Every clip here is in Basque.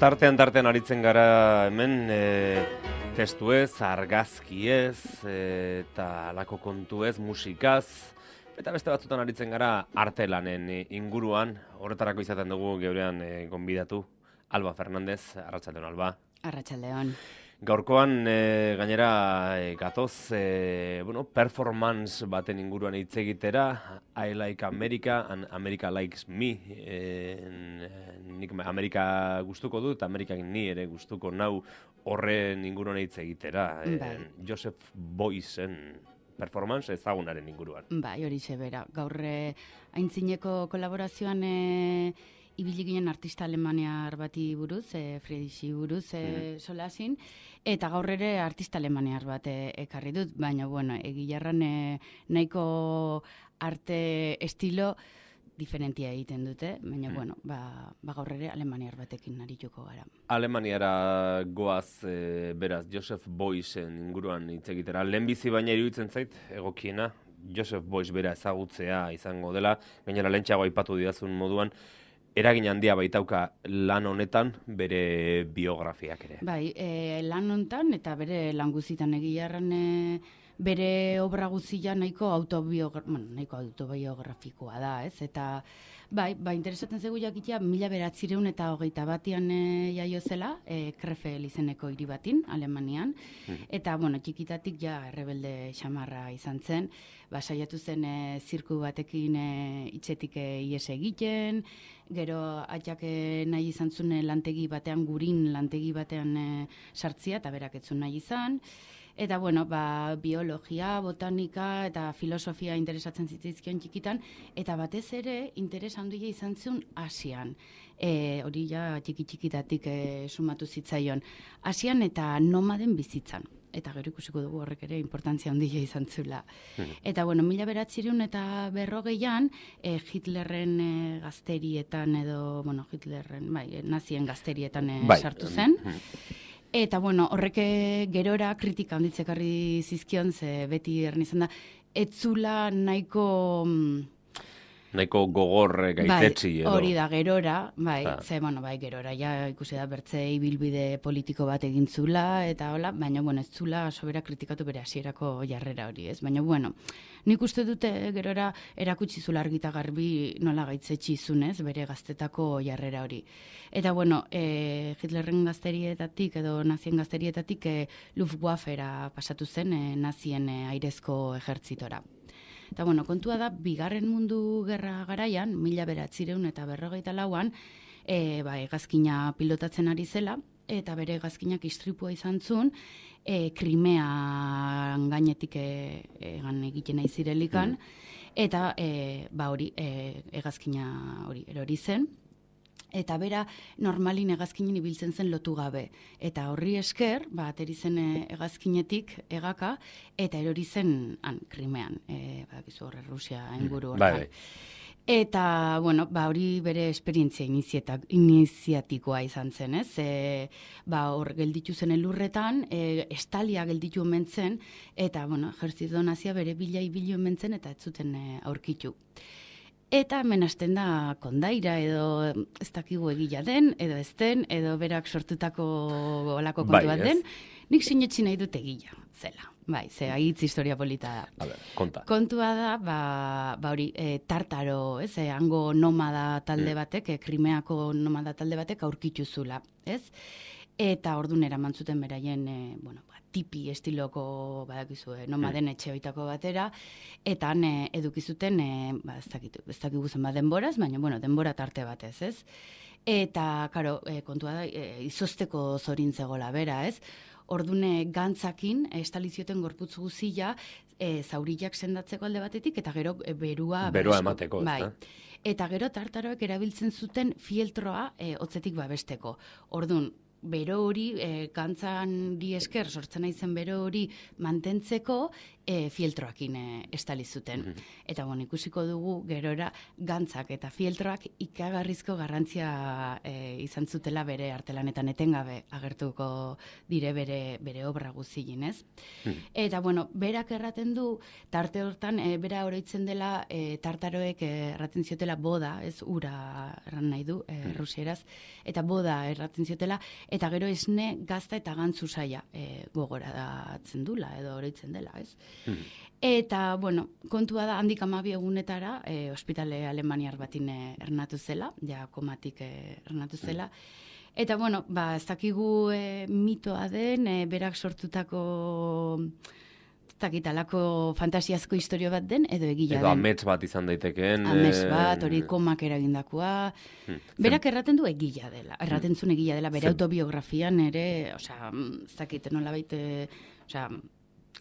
Tartean aritzen gara hemen testuez, argazkiez, eta alako kontuez, musikaz, eta beste batzutan aritzen gara artelanen inguruan, horretarako izaten dugu geurean gonbidatu, Alba Fernandez, arratsaldeon Alba. Arratsaldeon. Gaurkoan gainera gatoz, performance baten inguruan hitz egitera, I like America and America likes me. Nik Amerika gustuko dut, Amerikak ni ere gustuko nau horren inguruan hitz egitera. Joseph Beuys'en performance ezagunaren inguruan. Bai, horixe bera. Gaur aintzineko kolaborazioan ibili ginen artista alemaniar bati buruz, Friedrichi buruz solasin, eta gaur ere artista alemaniar bat ekarri dut, baina egilarran nahiko arte estilo diferentia egiten dute, baina gaur ere alemaniar batekin arituko gara. Alemaniara goaz, beraz, Joseph Beuys'en inguruan hitz egitera. Lehenbizi baina iruditzen zait, egokiena, Joseph Beuys bera ezagutzea izango dela, gainera lehentxeago aipatu didazun moduan, eragin handia baitauka lan honetan bere biografiak ere. Bai, lan honetan eta bere lan guzitan egilarran bere obra guzia nahiko autobiografikoa da, ez? Eta interesatzen zegu jakitea 1921 jaio zela, Krefeld izeneko hiri batin, Alemanian, eta txikitatik errebelde xamarra izan zen, saiatu zen zirku batekin hitzetik ihes egiten, gero atxak nahi izan zuen lantegi batean, gurin lantegi batean sartzia, eta berak etzun nahi izan. Eta biologia, botanika eta filosofia interesatzen zitzaizkion txikitan, eta batez ere interes handia izan zuen Asian. Hori txikitatik sumatu zitzaion. Asian eta nomaden bizitzan. Eta gero ikusiko dugu horrek ere importantzia handia izan zula. Eta 1940an Hitlerren gazterietan edo, nazien gazterietan sartu zen. Eta horrek gerora kritika handitzekarri zizkion, ze beti erran izan da, etzula nahiko gogor gaitzetsi edo. Hori da, gerora, gerora, ikusi da bertze ibilbide politiko bat egin zula, eta hola, baina, ez zula sobera kritikatu bere hasierako jarrera hori, ez? Baina, nik uste dute gerora erakutsi zula argita garbi nola gaitzetsi zunez, bere gaztetako jarrera hori. Eta, Hitlerren gazterietatik edo nazien gazterietatik Luftwaffera pasatu zen nazien airezko ejertzitora. Eta kontua da, Bigarren Mundu Gerra garaian, 1944an, hegazkina pilotatzen ari zela, eta bere hegazkinak istripua izan zuen, Krimean gainetik egiten nahi zirelikan, eta hegazkina hori erori zen, eta bera normalin hegazkinen ibiltzen zen lotu gabe. Eta horri esker, ateri zen hegazkinetik egaka, eta erori zen Krimean, Rusia inguru hortan. Eta, hori bere esperientzia iniziatikoa izan zen, ez? Hor gelditu zen elurretan, estalia gelditu omen zen, eta, ejertzito nazia bere bila omen zen, eta ez zuten aurkitu. Eta hemen hasten da kondaira edo ez dakigu egila den, edo ez den, edo berak sortutako olako kontu bat den, nik sinetsi nahi dut egila zela. Ze hitz historia polita da. Kontua da, hori, tartaro, ez, hango nomada talde batek, Krimeako nomada talde batek aurkitu zula, ez? Eta ordun eraman zuten beraien, tipi estiloko, nomaden etxe hoitako batera, eta han edukizuten, ez dakigu zen denboraz, baina, denbora tarte batez, ez? Eta, kontua da, izosteko zorin zegoela bera, ez? Ordune gantzakin, estalizioten gorputz guzia, zauriak sendatzeko alde batetik, eta gero berua emateko, ez da? Eta gero tartaroek erabiltzen zuten fieltroa hotzetik babesteko. Ordun, bero hori, gantzan di esker sortzen naizen bero hori mantentzeko, fieltroakin estali zuten. Eta ikusiko dugu gerora gantzak eta fieltroak ikagarrizko garrantzia izan zutela bere artelanetan etengabe agertuko dire bere obra guzien, ez? Eta berak erraten du, tarte hortan, bera oroitzen dela tartaroek erraten ziotela boda, ez ura erran nahi du, rusieraz, eta boda erraten ziotela, eta gero esne gazta eta gantzu saia gogoratzen dula, edo oroitzen dela, ez? Eta, kontua da, handik 12 egunetara, ospitale alemaniar batin ernatu zela, ja komatik ernatu zela. Eta, ez dakigu mitoa den, berak sortutako takitalako fantasiazko historio bat den, edo egila den. Edo amets bat izan daitekeen. Amets bat, hori komak eragindakoa. Berak erraten du egila dela, erraten zuen egila dela, bere autobiografian ere, ez dakit, nolabait,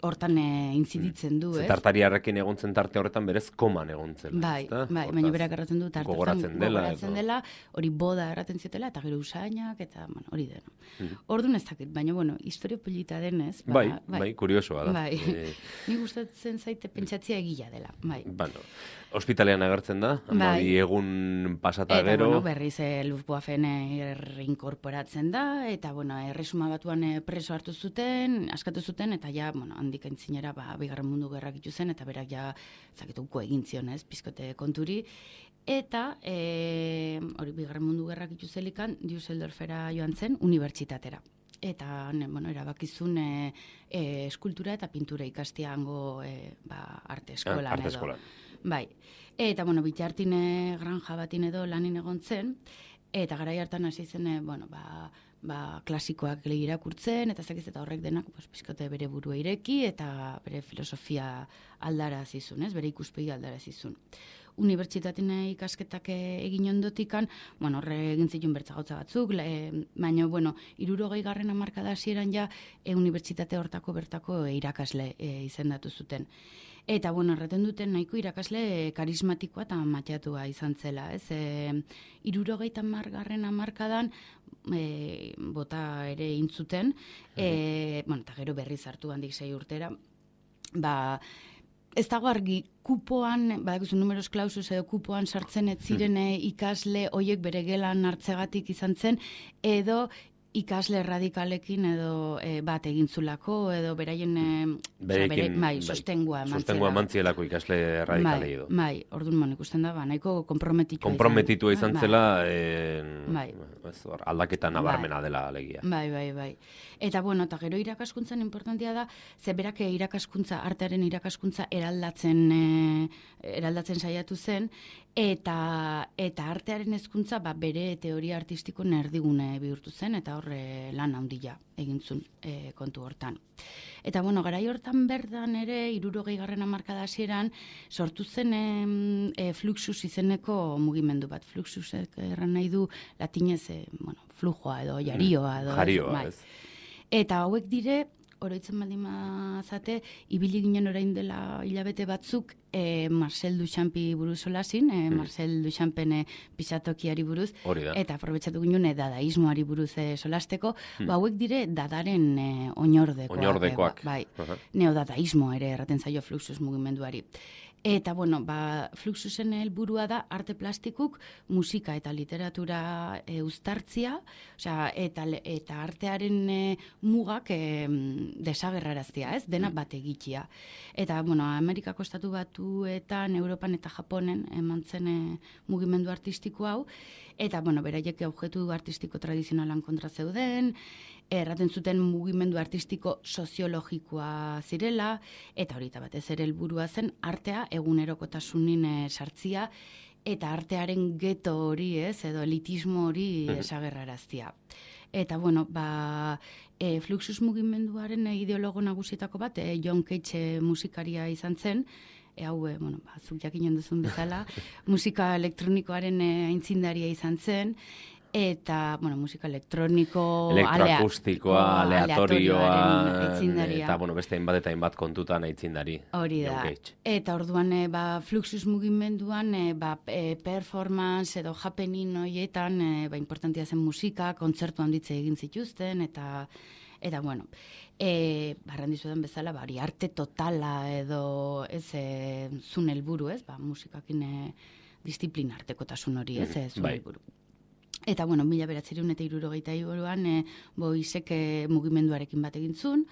hortan inziditzen du, ez? Tartariarrekin egontzen tarte horretan berez koman egontzen. Bai, baina berak erraten du tarte gogoratzen dela, hori boda erraten ziotela, eta gero usainak, eta hori dena. Orduan ez dakit, baina, historio polita denez. Bai, kuriosoa da. Bai, ni gustatzen zaite pentsatzea egila dela, bai. Hospitalean agertzen da, 12 egun pasata gero. Eta, berriz Luftwaffen reinkorporatzen da, eta, erresuma batuan preso hartu zuten, askatu zuten, eta ja, handik aintzinera, Bigarren Mundu Gerrak zen, eta berak ja, zaketuko egin zion, ez, pizkote konturi. Eta, hori Bigarren Mundu Gerrak zelikan, Düsseldorfera joan zen, unibertsitatera. Eta, erabakizun eskultura eta pintura ikastia hango arte eskolan. Arte eskolan. Bai. Eta, bitartine granja batin edo lanin egon zen, eta garai hartan hasi zen, klasikoak irakurtzen, eta zakiz eta horrek denak, pizkote bere burua ireki, eta bere filosofia aldara zizun, bere ikuspegi aldara zizun. Unibertsitatean ikasketak egin ondotikan, horre egin zituen bertzagotza batzuk, baina, 60. hamarkada hasieran ja, unibertsitate hortako bertako irakasle izendatu zuten. Eta, erraten duten nahiko irakasle karismatikoa eta matxatua izan zela, ez? 60. hamarkadan bota ere intzuten, eta gero berriz hartu handik 6 urtera, ez dago argi, kupoan, badakizu numeros clausus edo kupoan sartzen ez ziren ikasle hoiek bere gelan hartzegatik izan zen, edo ikasle radikalekin edo bat egintzulako, edo beraien sostengua mantzielako ikasle radikalei edo. Bai, orduan ikusten da, nahiko komprometitua izan zela, aldaketa nabarmena dela alegia. Bai. Eta, eta gero irakaskuntzan importantia da, ze berak artearen irakaskuntza eraldatzen saiatu zen, eta artearen hezkuntza bere teoria artistiko erdigune bihurtu zen, eta horre lan handia egintzun kontu hortan. Eta, garai hortan berdan ere, 60. hamarkada hasieran sortu zen Fluxus izeneko mugimendu bat. Fluxusek erran nahi du latinez, flujoa edo jarioa. Jarioa, ez. Eta hauek dire, oroitzen baldin mazate, ibili ginen orain dela hilabete batzuk, Marcel Duchampi buruz solasin, Marcel Duchampen pisatokiari buruz, eta aprobetxatu ginen dadaismoari buruz solasteko, hauek dire dadaren oinordekoak. Bai, neodadaismo ere erraten zaio Fluxus mugimenduari. Eta, Fluxusen helburua da arte plastikuk musika eta literatura uztartzia, eta artearen mugak desagerraraztia, ez? Dena bat egitea. Eta, Amerikako estatu batuetan, Europan eta Japonen eman zen mugimendu artistiko hau, eta, beraiek objektu artistiko tradizionalan kontra zeuden, erraten zuten mugimendu artistiko soziologikoa zirela, eta horita batez ere helburua zen artea egunerokotasunin sartzia, eta artearen geto hori, edo elitismo hori desagerraraztia. Eta, Fluxus mugimenduaren ideologo nagusietako bat, John Cage musikaria izan zen, hau, zuk jakinen duzun bezala, musika elektronikoaren aitzindaria izan zen, eta, bueno, musika elektroniko, elektroakustikoa, aleatorioa, aitzindaria. eta, bueno, beste hainbat eta hainbat kontutan aitzindari. Hori da. Eta orduan, Fluxus mugimenduan, performance edo happening horietan, importantia zen musika, kontzertu handitze egin zituzten, eta bueno, barran dizudan bezala, hori arte totala edo zun helburu, ez? Musikakin disiplina artekotasun hori, ez? Zun helburu. Eta, bueno, 1963an Boisek mugimenduarekin bat egin zuen,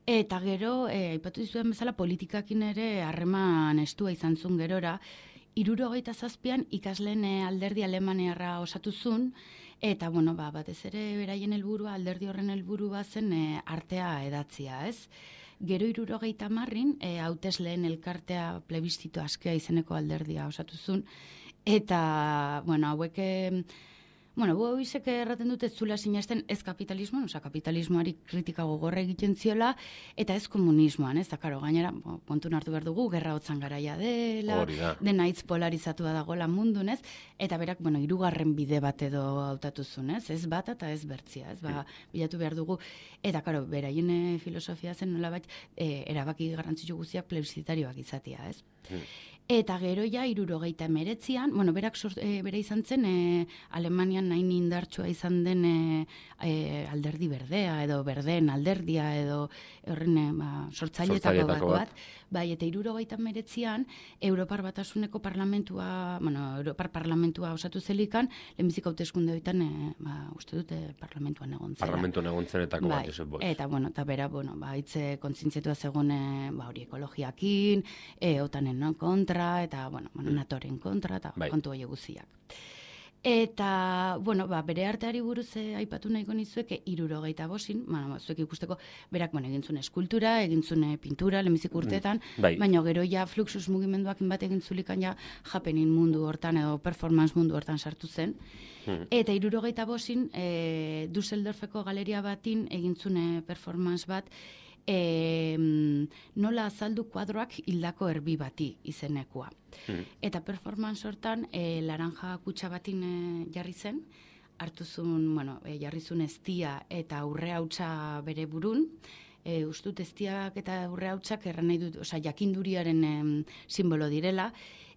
eta gero, aipatu dizudan bezala, politikakin ere harreman estua izan zuen gerora, 1967an ikasleen alderdi alemaniarra osatu zuen, eta, bueno, batez ere beraien helburua, alderdi horren helburua zen artea edatzia, ez? Gero 1970an, hautesleen elkartea plebiszitu askea izeneko alderdia osatu zuen, eta, bueno, hauek... Boisek erraten dute zula sinesten ez kapitalismoan, kapitalismoari kritika gogorra egiten ziola, eta ez komunismoan, ez da, karo, gainera, kontun hartu behar dugu, gerra hotzan garaia dela, dena hitz polarizatua dagoela mundun, ez, eta berak, hirugarren bide bat edo hautatu zuen, ez bat eta ez bertzia, ez, bilatu behar dugu, eta, karo, beraien filosofia zen nolabait, erabaki garrantzitsu guztiak plebiszitarioak izatea, ez. Eta gero ja, 1979an, berak bera izan zen, Alemanian nahi indartsua izan den alderdi berdea, edo berdeen alderdia, edo horren sortzailetako bat. Bai, eta 1979an, Europar Batasuneko parlamentua, Europar parlamentua osatu zelikan, lehenbizik hauteskunde horietan, uste dute parlamentuan egon zela. Parlamentuan egon zenetako bat, Josep Boix. Eta, eta bera, hitze kontzientziatua zegoen, hori ekologiakin, otanen kontra, eta, natoren kontra, eta kontu hori guziak. Eta, bere arteari buruz aipatu nahiko nizueke 65, zuek ikusteko, berak, egin zuen eskultura, egin zuen pintura, lehenbizik urteetan, baina gero ja Fluxus mugimenduak bat egin zulikan ja happening mundu hortan, edo performance mundu hortan sartu zen. Eta 65, Düsseldorfeko galeria batin egin zuen performance bat, nola azaldu kuadroak hildako erbi bati izenekoa. Eta performance hortan, laranja kutsa batin jarri zen, jarri zuen eztia eta urre hautsa bere burun, ustut eztiak eta urre hautsak erran nahi dut, jakinduriaren simbolo direla,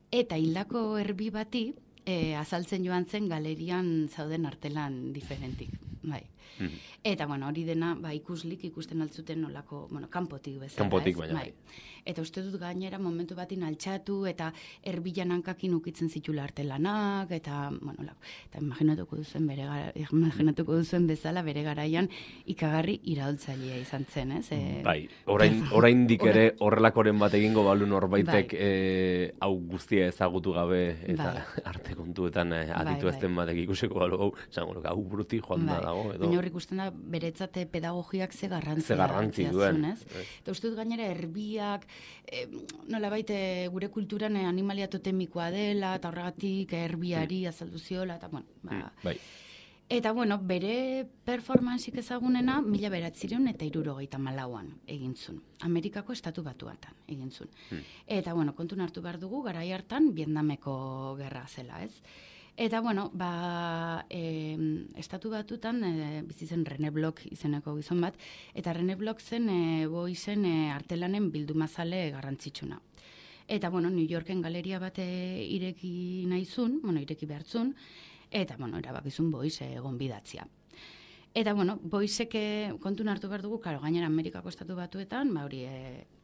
eta hildako erbi bati azaltzen joan zen galerian zauden artelan diferentik. Bai. Eta, hori dena, ikuslik ikusten altzuten nolako, kanpotik bezala. Kanpotik, baina bai. Eta uste dut gainera momentu batin altxatu, eta erbilan hankakin ukitzen zitula artelanak, eta, eta imaginatuko duzuen bezala bere garaian ikagarri iraultzailea izan zen, ez? Bai, oraindik ere horrelakoren bat egingo balu norbaitek hau guztia ezagutu gabe, eta arte kontuetan aditu ezten batek ikusiko balu, hau bruti joan da dago, edo... Baina horrik usten da, beretzate pedagogiak ze garrantzi duen. Eta uste dut gainera erbiak, nolabait gure kulturan animalia totemikoa dela, eta horregatik erbiari azaldu ziola, eta bai. Eta, bere performanzik ezagunena 1974an egin zuen. Amerikako estatu batuatan egin zuen. Eta, kontun hartu behar dugu, garai hartan, Vietnameko gerra zela, ez? Eta, estatu batutan bizi zen René Bloch izeneko gizon bat, eta René Bloch zen Boisen artelanen bildumazale garrantzitsuna. Eta, New Yorken galeria bat ireki nahizun, ireki behartzun, eta, erabakizun Bois egon bidatzia. Eta, Boisek kontun hartu behar dugu, gainera Amerikako estatu batuetan, hori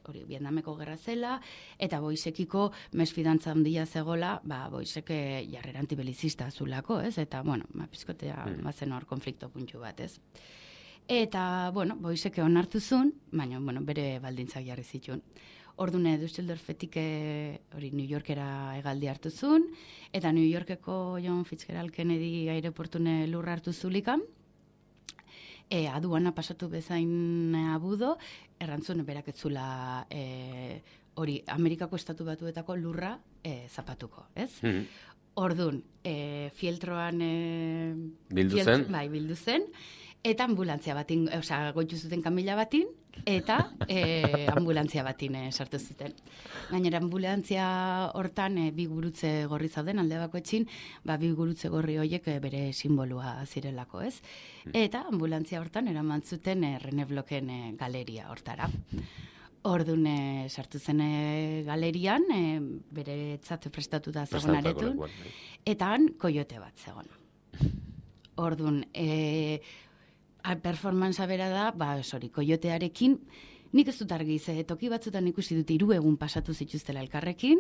Vietnameko gerra zela, eta Boisekiko mesfidantza handia zegola, Boisek jarrera antibelizista zulako, ez? Eta, pizkotea bazen hor konflikto puntu bat, ez? Eta, Boisek onartu zuen, baina, bere baldintzak jarri zituen. Ordune Düsseldorfetik New Yorkera hegaldi hartu zuen, eta New Yorkeko John Fitzgerald Kennedy aireportune lurra hartu zulikan, aduana pasatu bezain abudo, errantzun berak etzula hori Amerikako estatu batuetako lurra zapatuko, ez? Ordun, fieltroan bildu zen, bildu zen, eta ambulantzia batin, goitu zuten kamila batin, eta ambulantzia batin sartu zuten. Gainera, ambulantzia hortan bi gurutze gorri zauden, alde bakoitzin, bi gurutze gorri horiek bere simbolua zirelako, ez? Eta ambulantzia hortan eraman zuten René Blochen galeria hortara. Orduan sartu zen galerian, bere etzat prestatuta zegoen aretun, eta han koiote bat zegoen. Orduan, performanza bera da, koiotearekin, nik ez dut argi, toki batzutan ikusi dut 3 egun pasatu zituztela elkarrekin,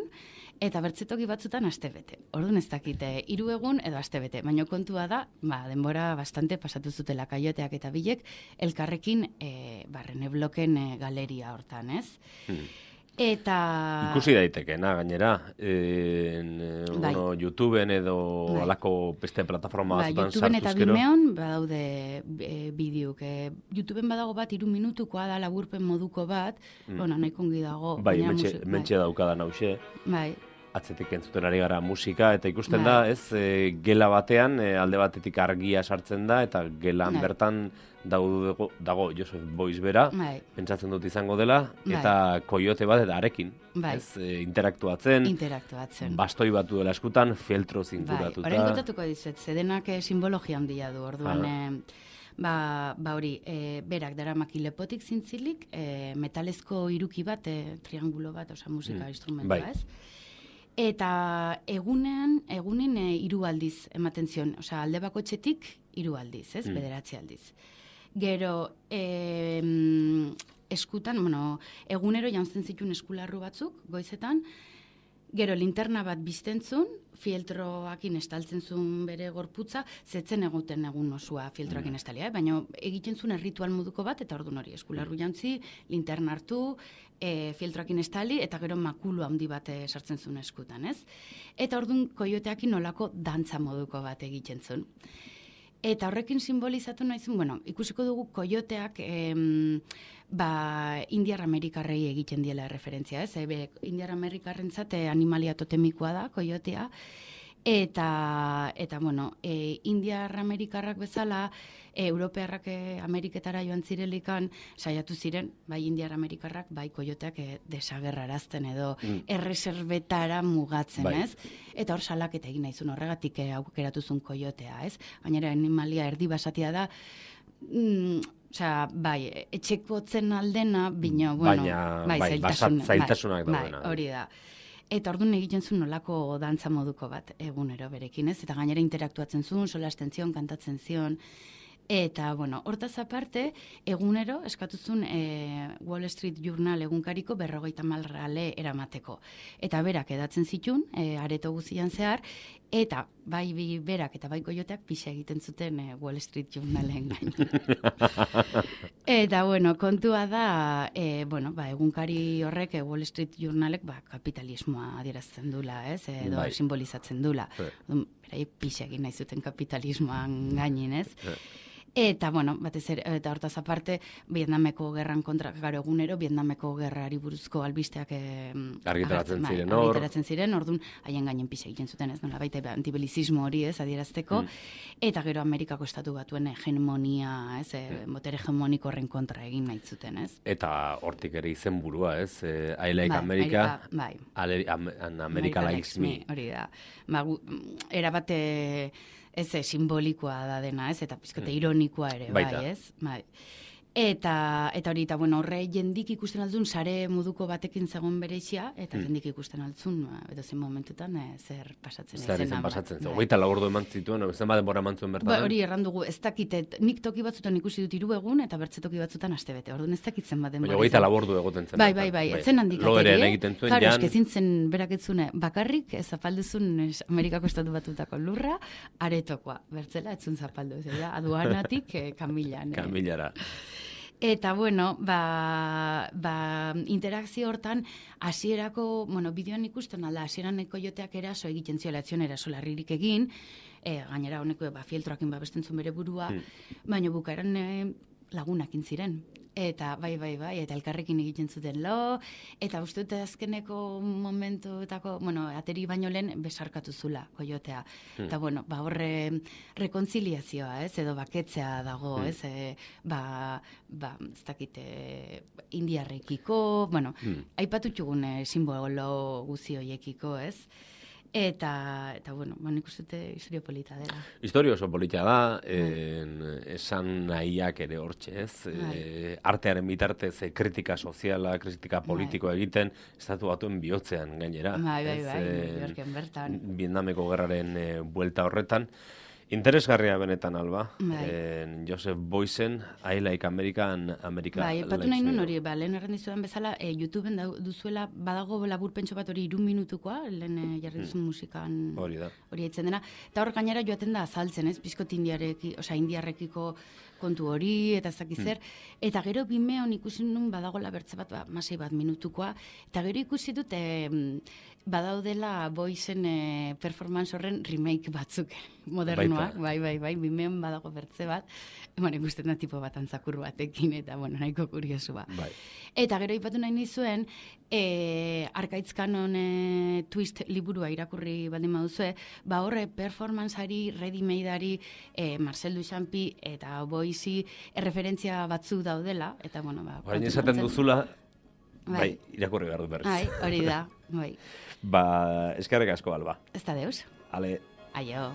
eta bertze toki batzutan astebete. Orduan ez dakite 3 egun edo astebete, baina kontua da, denbora bastante pasatu zutela kaioteak eta bilek, elkarrekin René Blochen galeria hortan, ez? Eta... Ikusi daitekeena, gainera, YouTubeen edo alako beste plataforma batzutan sartuz gero. YouTubeen eta Vimeon badaude bideok. YouTubeen badago bat 3 minutukoa da laburpen moduko bat, nahiko ongi dago. Bai, mentxe daukadan hause. Bai. Atzetik entzuten ari gara musika, eta ikusten da, ez, gela batean, alde batetik argia sartzen da, eta gelan bertan dago Joseph Beuys bera, pentsatzen dut izango dela, eta koiote bat eta arekin, ez, interaktuatzen, bastoi bat duela eskutan, fieltro zinturatuta. Horren kontatuko dizet, zedenak simbologia handia du, orduan, hori, berak daramaki lepotik zintzilik, metalezko iruki bat, triangulo bat, musika instrumentua, ez? Eta egunen 3 aldiz ematen zion, alde bakoitzetik 3 aldiz, ez, 9 aldiz. Gero, eskutan, egunero jantzen zituen eskularru batzuk, goizetan, gero linterna bat biztentzun, fieltroakin estaltzen zuen bere gorputza, zetzen egoten egun osua fieltroakin estalia, baina egiten zuen erritual moduko bat, eta orduan hori eskularru jantzi, linterna hartu, fieltroakin estali, eta gero makulu handi bat sartzen zuen eskutan, ez? Eta orduan koioteakin nolako dantza moduko bat egiten zuen. Eta horrekin simbolizatu nahi zuen, ikusiko dugu koioteak Indiar Amerikarrei egiten diela referentzia, ez? Indiar Amerikarrentzat animalia totemikoa da, koiotea, eta Indiar Amerikarrak bezala, Europearrak Ameriketara joan zirelikan, saiatu ziren, bai Indiar Amerikarrak, bai koioteak desagerrarazten edo erreserbetara mugatzen, ez? Eta hor salaketa egin nahizun horregatik aukeratu zuen koiotea, ez? Gainera animalia erdi basatia da, etxekotzen aldena, zailtasunak daudena. Hori da. Eta orduan egiten zuen nolako dantza moduko bat egunero berekin, ez? Eta gainera interaktuatzen zuen, solasten zion, kantatzen zion. Eta, hortaz aparte, egunero eskatuzun Wall Street Journal egunkariko 50 rale eramateko. Eta berak edatzen zituen, areto guzian zehar, eta bai berak eta bai koioteak pixa egiten zuten Wall Street Journalen gain. Eta, kontua da, egunkari horrek Wall Street Journalek kapitalismoa adierazten dula, ez? Edo simbolizatzen dula. Berai pixa egin nahi zuten kapitalismoan gainin, ez? Eta, batez ere, eta hortaz aparte, Vietnameko gerran kontra, garo egunero, Vietnameko gerrari buruzko albisteak argitaratzen ziren, orduan, haien gainen pisa egiten zuten, ez, nola baita antibelizismo hori, ez, adierazteko, eta gero Amerikako estatu batuen hegemonia, ez, botere hegemoniko horren kontra egin nahi zuten, ez. Eta hortik ere izen burua, ez, I like America, America likes me. Hori da, erabate... Ez simbolikoa da dena, ez? Eta pizkote ironikoa ere, bai, ez? Bai. Eta hori, horre jendik ikusten altzun, sare moduko batekin zegoen bereixia, eta jendik ikusten altzun, edo zen momentutan, zer pasatzen zen. Zer pasatzen zen. Hogeita laburdu eman zituen, zen baden bora eman zuen bertan. Hori errandugu, ez dakite, nik toki batzutan ikusi dut 3 egun, eta bertze toki batzutan astebete. Orduan ez dakitzen baden bora. Hogeita laburdu egoten zen. Bai, etzen handik ateri. Logeren egiten zuen, jan. Eskezin zen beraketzune, bakarrik, zapalduzun Amerikako estatu batutako lurra, aretokoa. Bertzela, etzun zapaldu. Aduanatik, Kamilara. Eta, interakzio hortan, hasierako, bideoan ikusten alda, hasieran koioteak eraso egiten ziola, etzion eraso larririk egin, gainera honeko fieltroakin babesten zuen bere burua, baina bukaeran lagunakin ziren. eta bai, eta elkarrekin egiten zuten lo, eta uste dute azkeneko momentuetako, ateri baino lehen besarkatu zula, koiotea. Eta, horre rekontziliazioa, edo baketzea dago, ez dakite, indiarrekiko, aipatu txugun simbolo guzi hoiekiko, ez? Eta nik uste dute historio polita dela. Historio oso polita da, esan nahiak ere hortxe, ez? Artearen bitartez kritika soziala, kritika politikoa egiten, estatu batuen bihotzean gainera. Bai, Yorken bertan. Vietnameko gerraren buelta horretan. Interesgarria benetan, Alba. Joseph Boysen, I Like America Likes Me. Epatu nahi nun hori, lehen errendizudan bezala, YouTubeen duzuela, badago laburpentso bat hori 3 minutukoa, lehen jarri duzun musikan hori haitzen dena. Eta hor gainera joaten da azaltzen, ez? Bizkot indiarrekiko kontu hori, eta ez dakiz zer. Eta gero Vimeon ikusi nun badagola bertze bat, masei bat minutukoa. Eta gero ikusi dut, badaudela Boysen performance horren remake batzuk modernoak. Bai, Vimeon badago bertze bat. Ikusten da tipo bat antzakur batekin, eta nahiko kuriosu ba. Eta gero ipatu nahi nizuen, Arkaitz Kanon Twist liburua irakurri baldin baduzue, horre performanceari, ready-madeari, Marcel Duchampi eta Boysi referentzia batzu daudela, eta Baina esaten duzula, irakurri behar du berriz. Hori da, bai. Eskerrik asko, Alba. Ez da deus. Ale. Aio.